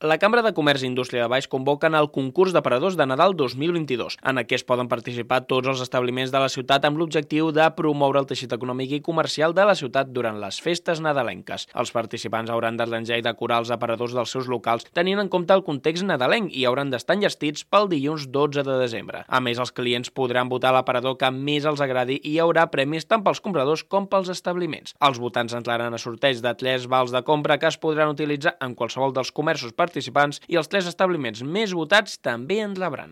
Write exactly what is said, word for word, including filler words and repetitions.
La Cambra de Comerç i Indústria de Valls convoquen el concurs d'aparadors de Nadal dos mil vint-i-dos. En aquest poden participar tots els establiments de la ciutat amb l'objectiu de promoure el teixit econòmic i comercial de la ciutat durant les festes nadalenques. Els participants hauran d'arranjar i decorar els aparadors dels seus locals tenint en compte el context nadalenc i hauran d'estar enllestits pel dilluns dotze de desembre. A més, els clients podran votar l'aparador que més els agradi i hi haurà premis tant pels compradors com pels establiments. Els votants entraran a sorteig de tres vals de compra que es podran utilitzar en qualsevol dels comerços participants i els tres establiments més votats també en rebran.